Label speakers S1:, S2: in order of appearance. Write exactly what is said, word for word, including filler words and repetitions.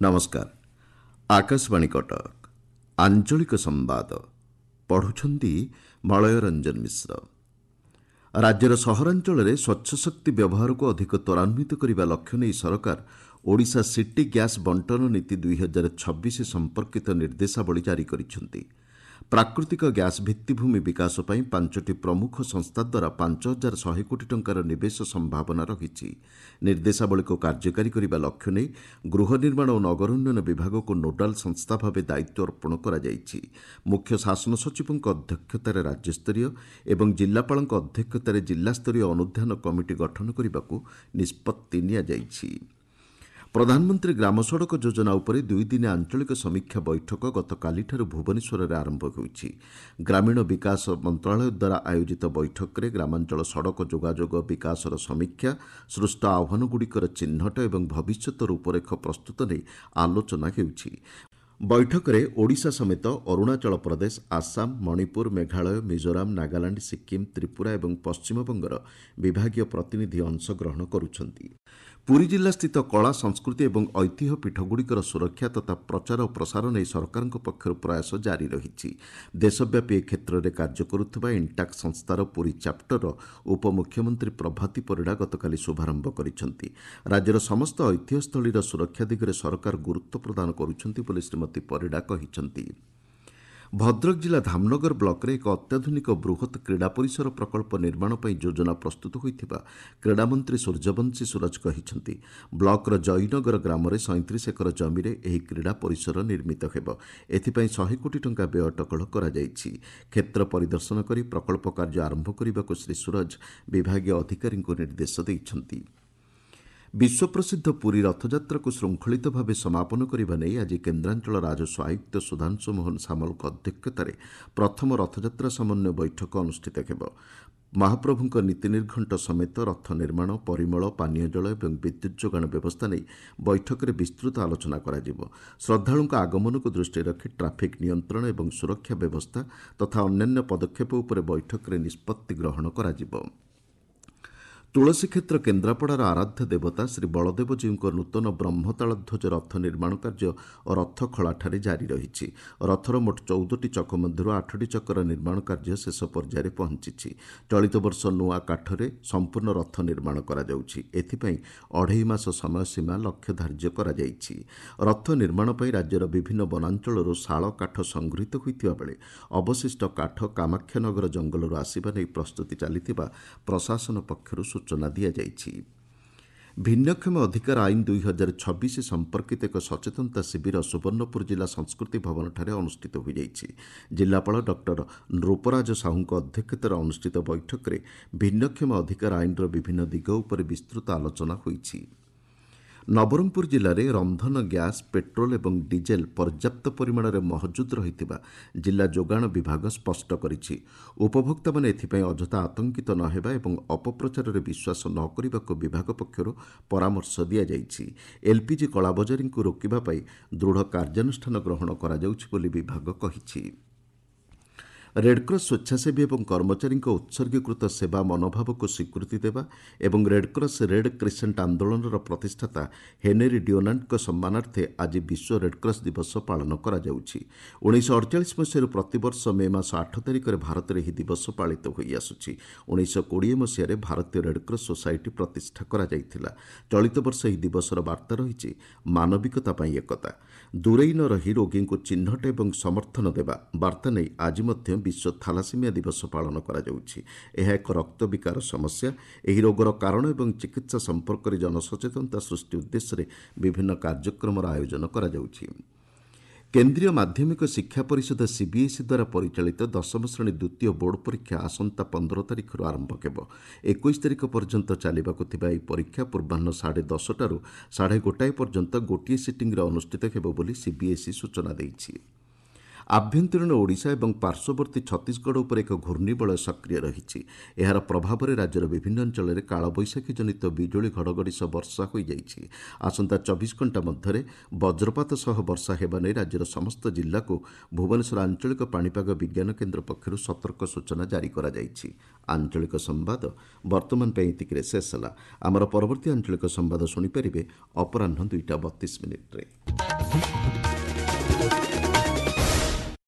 S1: ନମସ୍କାର ଆକାଶବାଣୀ କଟକ ଆଞ୍ଚଳିକ ସମ୍ବାଦ ପଢୁଛନ୍ତି ମଳୟ ରଞ୍ଜନ ମିଶ୍ର ରାଜ୍ୟର ସହରାଞ୍ଚଳରେ ସ୍ୱଚ୍ଛ ଶକ୍ତି ବ୍ୟବହାରକୁ ଅଧିକ ତ୍ୱରାନ୍ୱିତ କରିବା ଲକ୍ଷ୍ୟ ନେଇ ସରକାର ଓଡ଼ିଶା ସିଟି ଗ୍ୟାସ୍ ବଣ୍ଟନ ନୀତି ଦୁଇ ହଜାର ଛବିଶ ସମ୍ପର୍କିତ ନିର୍ଦ୍ଦେଶାବଳୀ ଜାରି କରିଛନ୍ତି ପ୍ରାକୃତିକ ଗ୍ୟାସ୍ ଭିତ୍ତିଭୂମି ବିକାଶ ପାଇଁ ପାଞ୍ଚଟି ପ୍ରମୁଖ ସଂସ୍ଥା ଦ୍ୱାରା ପାଞ୍ଚ ହଜାର ଶହେ କୋଟି ଟଙ୍କାର ନିବେଶ ସମ୍ଭାବନା ରହିଛି ନିର୍ଦ୍ଦେଶାବଳୀକୁ କାର୍ଯ୍ୟକାରୀ କରିବା ଲକ୍ଷ୍ୟ ନେଇ ଗୃହ ନିର୍ମାଣ ଓ ନଗର ଉନ୍ନୟନ ବିଭାଗକୁ ନୋଡାଲ ସଂସ୍ଥା ଭାବେ ଦାୟିତ୍ୱ ଅର୍ପଣ କରାଯାଇଛି ମୁଖ୍ୟ ଶାସନ ସଚିବଙ୍କ ଅଧ୍ୟକ୍ଷତାରେ ରାଜ୍ୟସ୍ତରୀୟ ଏବଂ ଜିଲ୍ଲାପାଳଙ୍କ ଅଧ୍ୟକ୍ଷତାରେ ଜିଲ୍ଲାସ୍ତରୀୟ ଅନୁଧ୍ୟାନ କମିଟି ଗଠନ କରିବାକୁ ନିଷ୍ପତ୍ତି ନିଆଯାଇଛି ପ୍ରଧାନମନ୍ତ୍ରୀ ଗ୍ରାମ ସଡ଼କ ଯୋଜନା ଉପରେ ଦୁଇଦିନିଆ ଆଞ୍ଚଳିକ ସମୀକ୍ଷା ବୈଠକ ଗତକାଲିଠାରୁ ଭୁବନେଶ୍ୱରରେ ଆରମ୍ଭ ହୋଇଛି ଗ୍ରାମୀଣ ବିକାଶ ମନ୍ତ୍ରଣାଳୟ ଦ୍ୱାରା ଆୟୋଜିତ ବୈଠକରେ ଗ୍ରାମାଞ୍ଚଳ ସଡ଼କ ଯୋଗାଯୋଗ ବିକାଶର ସମୀକ୍ଷା ସୃଷ୍ଟ ଆହ୍ୱାନଗୁଡ଼ିକର ଚିହ୍ନଟ ଏବଂ ଭବିଷ୍ୟତ ରୂପରେଖ ପ୍ରସ୍ତୁତ ନେଇ ଆଲୋଚନା ହେଉଛି ବୈଠକରେ ଓଡ଼ିଶା ସମେତ ଅରୁଣାଚଳ ପ୍ରଦେଶ ଆସାମ ମଣିପୁର ମେଘାଳୟ ମିଜୋରାମ ନାଗାଲାଣ୍ଡ ସିକ୍କିମ୍ ତ୍ରିପୁରା ଏବଂ ପଶ୍ଚିମବଙ୍ଗର ବିଭାଗୀୟ ପ୍ରତିନିଧି ଅଂଶଗ୍ରହଣ କରୁଛନ୍ତି ପୁରୀ ଜିଲ୍ଲାସ୍ଥିତ କଳା ସଂସ୍କୃତି ଏବଂ ଐତିହ୍ୟ ପୀଠଗୁଡ଼ିକର ସୁରକ୍ଷା ତଥା ପ୍ରଚାର ଓ ପ୍ରସାର ନେଇ ସରକାରଙ୍କ ପକ୍ଷରୁ ପ୍ରୟାସ ଜାରି ରହିଛି ଦେଶବ୍ୟାପୀ ଏ କ୍ଷେତ୍ରରେ କାର୍ଯ୍ୟ କରୁଥିବା ଇଣ୍ଟାକ୍ ସଂସ୍ଥାର ପୁରୀ ଚାପ୍ଟରର ଉପମୁଖ୍ୟମନ୍ତ୍ରୀ ପ୍ରଭାତୀ ପରିଡ଼ା ଗତକାଲି ଶୁଭାରମ୍ଭ କରିଛନ୍ତି ରାଜ୍ୟର ସମସ୍ତ ଐତିହ୍ୟସ୍ଥଳୀର ସୁରକ୍ଷା ଦିଗରେ ସରକାର ଗୁରୁତ୍ୱ ପ୍ରଦାନ କରୁଛନ୍ତି ବୋଲି ଶ୍ରୀମତୀ ପରିଡ଼ା କହିଛନ୍ତି ଭଦ୍ରକ ଜିଲ୍ଲା ଧାମନଗର ବ୍ଲକରେ ଏକ ଅତ୍ୟାଧୁନିକ ବୃହତ୍ କ୍ରୀଡ଼ା ପରିସର ପ୍ରକଳ୍ପ ନିର୍ମାଣ ପାଇଁ ଯୋଜନା ପ୍ରସ୍ତୁତ ହୋଇଥିବା କ୍ରୀଡ଼ାମନ୍ତ୍ରୀ ସୂର୍ଯ୍ୟବଂଶୀ ସୂରଜ କହିଛନ୍ତି ବ୍ଲକର ଜୟନଗର ଗ୍ରାମରେ ସଇଁତିରିଶ ଏକର ଜମିରେ ଏହି କ୍ରୀଡ଼ା ପରିସର ନିର୍ମିତ ହେବ ଏଥିପାଇଁ ଶହେ କୋଟି ଟଙ୍କା ବ୍ୟୟ ଅଟକଳ କରାଯାଇଛି କ୍ଷେତ୍ର ପରିଦର୍ଶନ କରି ପ୍ରକଳ୍ପ କାର୍ଯ୍ୟ ଆରମ୍ଭ କରିବାକୁ ଶ୍ରୀ ସୂରଜ ବିଭାଗୀୟ ଅଧିକାରୀଙ୍କୁ ନିର୍ଦ୍ଦେଶ ଦେଇଛନ୍ତି ବିଶ୍ୱପ୍ରସିଦ୍ଧ ପୁରୀ ରଥଯାତ୍ରାକୁ ଶୃଙ୍ଖଳିତ ଭାବେ ସମାପନ କରିବା ନେଇ ଆଜି କେନ୍ଦ୍ରାଞ୍ଚଳ ରାଜସ୍ୱ ଆୟୁକ୍ତ ସୁଧାଂଶୁ ମୋହନ ସାମଲଙ୍କ ଅଧ୍ୟକ୍ଷତାରେ ପ୍ରଥମ ରଥଯାତ୍ରା ସମନ୍ୱୟ ବୈଠକ ଅନୁଷ୍ଠିତ ହେବ ମହାପ୍ରଭୁଙ୍କ ନୀତି ନିର୍ଘଣ୍ଟ ସମେତ ରଥ ନିର୍ମାଣ ପରିମଳ ପାନୀୟ ଜଳ ଏବଂ ବିଦ୍ୟୁତ୍ ଯୋଗାଣ ବ୍ୟବସ୍ଥା ନେଇ ବୈଠକରେ ବିସ୍ତୃତ ଆଲୋଚନା କରାଯିବ ଶ୍ରଦ୍ଧାଳୁଙ୍କ ଆଗମନକୁ ଦୃଷ୍ଟିରେ ରଖି ଟ୍ରାଫିକ୍ ନିୟନ୍ତ୍ରଣ ଏବଂ ସୁରକ୍ଷା ବ୍ୟବସ୍ଥା ତଥା ଅନ୍ୟାନ୍ୟ ପଦକ୍ଷେପ ଉପରେ ବୈଠକରେ ନିଷ୍ପତ୍ତି ଗ୍ରହଣ କରାଯିବ ତୁଳସୀକ୍ଷେତ୍ର କେନ୍ଦ୍ରାପଡ଼ାର ଆରାଧ୍ୟ ଦେବତା ଶ୍ରୀ ବଳଦେବଜୀଉଙ୍କ ନୂତନ ବ୍ରହ୍ମତାଳଧ୍ୱଜ ରଥ ନିର୍ମାଣ କାର୍ଯ୍ୟ ରଥଖଳାଠାରେ ଜାରି ରହିଛି ରଥର ମୋଟ ଚଉଦଟି ଚକ ମଧ୍ୟରୁ ଆଠଟି ଚକର ନିର୍ମାଣ କାର୍ଯ୍ୟ ଶେଷ ପର୍ଯ୍ୟାୟରେ ପହଞ୍ଚିଛି ଚଳିତ ବର୍ଷ ନୂଆ କାଠରେ ସମ୍ପୂର୍ଣ୍ଣ ରଥ ନିର୍ମାଣ କରାଯାଉଛି ଏଥିପାଇଁ ଅଢ଼େଇ ମାସ ସମୟସୀମା ଲକ୍ଷ୍ୟ ଧାର୍ଯ୍ୟ କରାଯାଇଛି ରଥ ନିର୍ମାଣ ପାଇଁ ରାଜ୍ୟର ବିଭିନ୍ନ ବନାଞ୍ଚଳରୁ ଶାଳ କାଠ ସଂଗୃହୀତ ହୋଇଥିବା ବେଳେ ଅବଶିଷ୍ଟ କାଠ କାମାକ୍ଷାନଗର ଜଙ୍ଗଲରୁ ଆସିବା ନେଇ ପ୍ରସ୍ତୁତି ଚାଲିଥିବା ପ୍ରଶାସନ ପକ୍ଷରୁ ସୂଚନା ଦିଆଯାଇଛି ଭିନ୍ନକ୍ଷମ ଅଧିକାର ଆଇନ ଦୁଇ ହଜାର ଛବିଶ ସମ୍ପର୍କିତ ଏକ ସଚେତନତା ଶିବିର ସୁବର୍ଣ୍ଣପୁର ଜିଲ୍ଲା ସଂସ୍କୃତି ଭବନଠାରେ ଅନୁଷ୍ଠିତ ହୋଇଯାଇଛି ଜିଲ୍ଲାପାଳ ଡକ୍ଟର ନୃପରାଜ ସାହୁଙ୍କ ଅଧ୍ୟକ୍ଷତାରେ ଅନୁଷ୍ଠିତ ବୈଠକରେ ଭିନ୍ନକ୍ଷମ ଅଧିକାର ଆଇନର ବିଭିନ୍ନ ଦିଗ ଉପରେ ବିସ୍ତୃତ ଆଲୋଚନା ହୋଇଛି ନବରଙ୍ଗପୁର ଜିଲ୍ଲାରେ ରନ୍ଧନ ଗ୍ୟାସ୍ ପେଟ୍ରୋଲ ଏବଂ ଡିଜେଲ ପର୍ଯ୍ୟାପ୍ତ ପରିମାଣରେ ମହଜୁଦ ରହିଥିବା ଜିଲ୍ଲା ଯୋଗାଣ ବିଭାଗ ସ୍ପଷ୍ଟ କରିଛି ଉପଭୋକ୍ତାମାନେ ଏଥିପାଇଁ ଅଯଥା ଆତଙ୍କିତ ନ ହେବା ଏବଂ ଅପପ୍ରଚାରରେ ବିଶ୍ୱାସ ନ କରିବାକୁ ବିଭାଗ ପକ୍ଷରୁ ପରାମର୍ଶ ଦିଆଯାଇଛି ଏଲ୍ପିଜି କଳାବଜାରୀଙ୍କୁ ରୋକିବା ପାଇଁ ଦୃଢ଼ କାର୍ଯ୍ୟାନୁଷ୍ଠାନ ଗ୍ରହଣ କରାଯାଉଛି ବୋଲି ବିଭାଗ କହିଛି ରେଡ୍କ୍ରସ୍ ସ୍ୱେଚ୍ଛାସେବୀ ଏବଂ କର୍ମଚାରୀଙ୍କ ଉତ୍ସର୍ଗୀକୃତ ସେବା ମନୋଭାବକୁ ସ୍ୱୀକୃତି ଦେବା ଏବଂ ରେଡ୍କ୍ରସ୍ ରେଡ୍ କ୍ରିସେଣ୍ଟ ଆନ୍ଦୋଳନର ପ୍ରତିଷ୍ଠାତା ହେନେରୀ ଡିଓନାଣ୍ଟଙ୍କ ସମ୍ମାନାର୍ଥେ ଆଜି ବିଶ୍ୱ ରେଡ୍କ୍ରସ୍ ଦିବସ ପାଳନ କରାଯାଉଛି ଉଣେଇଶହ ଅଡ଼ଚାଳିଶ ମସିହାରୁ ପ୍ରତିବର୍ଷ ମେ ମାସ ଆଠ ତାରିଖରେ ଭାରତରେ ଏହି ଦିବସ ପାଳିତ ହୋଇଆସୁଛି ଉଣେଇଶହ କୋଡ଼ିଏ ମସିହାରେ ଭାରତୀୟ ରେଡ୍କ୍ରସ୍ ସୋସାଇଟି ପ୍ରତିଷ୍ଠା କରାଯାଇଥିଲା ଚଳିତ ବର୍ଷ ଏହି ଦିବସର ବାର୍ତ୍ତା ରହିଛି ମାନବିକତା ପାଇଁ ଏକତା ଦୂରେଇ ନ ରହି ରୋଗୀଙ୍କୁ ଚିହ୍ନଟ ଏବଂ ସମର୍ଥନ ଦେବା ବାର୍ତ୍ତା ନେଇ ଆଜି ମଧ୍ୟ ବିଶ୍ୱ ଥାଲାସିମିଆ ଦିବସ ପାଳନ କରାଯାଉଛି ଏହା ଏକ ରକ୍ତବିକାର ସମସ୍ୟା ଏହି ରୋଗର କାରଣ ଏବଂ ଚିକିତ୍ସା ସମ୍ପର୍କରେ ଜନସଚେତନତା ସୃଷ୍ଟି ଉଦ୍ଦେଶ୍ୟରେ ବିଭିନ୍ନ କାର୍ଯ୍ୟକ୍ରମର ଆୟୋଜନ କରାଯାଉଛି କେନ୍ଦ୍ରୀୟ ମାଧ୍ୟମିକ ଶିକ୍ଷା ପରିଷଦ ସିବିଏସ୍ଇ ଦ୍ୱାରା ପରିଚାଳିତ ଦଶମ ଶ୍ରେଣୀ ଦ୍ୱିତୀୟ ବୋର୍ଡ଼ ପରୀକ୍ଷା ଆସନ୍ତା ପନ୍ଦର ତାରିଖରୁ ଆରମ୍ଭ ହେବ ଏକୋଇଶ ତାରିଖ ପର୍ଯ୍ୟନ୍ତ ଚାଲିବାକୁ ଥିବା ଏହି ପରୀକ୍ଷା ପୂର୍ବାହ୍ନ ସାଢ଼େ ଦଶଟାରୁ ସାଢ଼େ ଗୋଟାଏ ପର୍ଯ୍ୟନ୍ତ ଗୋଟିଏ ସିଟିଂରେ ଅନୁଷ୍ଠିତ ହେବ ବୋଲି ସିବିଏସ୍ଇ ସୂଚନା ଦେଇଛି ଆଭ୍ୟନ୍ତରୀଣ ଓଡ଼ିଶା ଏବଂ ପାର୍ଶ୍ୱବର୍ତ୍ତୀ ଛତିଶଗଡ଼ ଉପରେ ଏକ ଘୂର୍ଣ୍ଣିବଳୟ ସକ୍ରିୟ ରହିଛି ଏହାର ପ୍ରଭାବରେ ରାଜ୍ୟର ବିଭିନ୍ନ ଅଞ୍ଚଳରେ କାଳବୈଶାଖୀ ଜନିତ ବିଜୁଳି ଘଡ଼ଘଡ଼ି ସହ ବର୍ଷା ହୋଇଯାଇଛି ଆସନ୍ତା ଚବିଶ ଘଣ୍ଟା ମଧ୍ୟରେ ବଜ୍ରପାତ ସହ ବର୍ଷା ହେବା ନେଇ ରାଜ୍ୟର ସମସ୍ତ ଜିଲ୍ଲାକୁ ଭୁବନେଶ୍ୱର ଆଞ୍ଚଳିକ ପାଣିପାଗ ବିଜ୍ଞାନ କେନ୍ଦ୍ର ପକ୍ଷରୁ ସତର୍କ ସୂଚନା ଜାରି କରାଯାଇଛି ଆଞ୍ଚଳିକ ସମ୍ବାଦ ବର୍ତ୍ତମାନ ପାଇଁ ଏତିକିରେ ଶେଷ ହେଲା ଆମର ପରବର୍ତ୍ତୀ ଆଞ୍ଚଳିକ ସମ୍ବାଦ ଶୁଣିପାରିବେ ଅପରାହ୍ନ ଦୁଇଟା ବତିଶ ମିନିଟ୍ରେ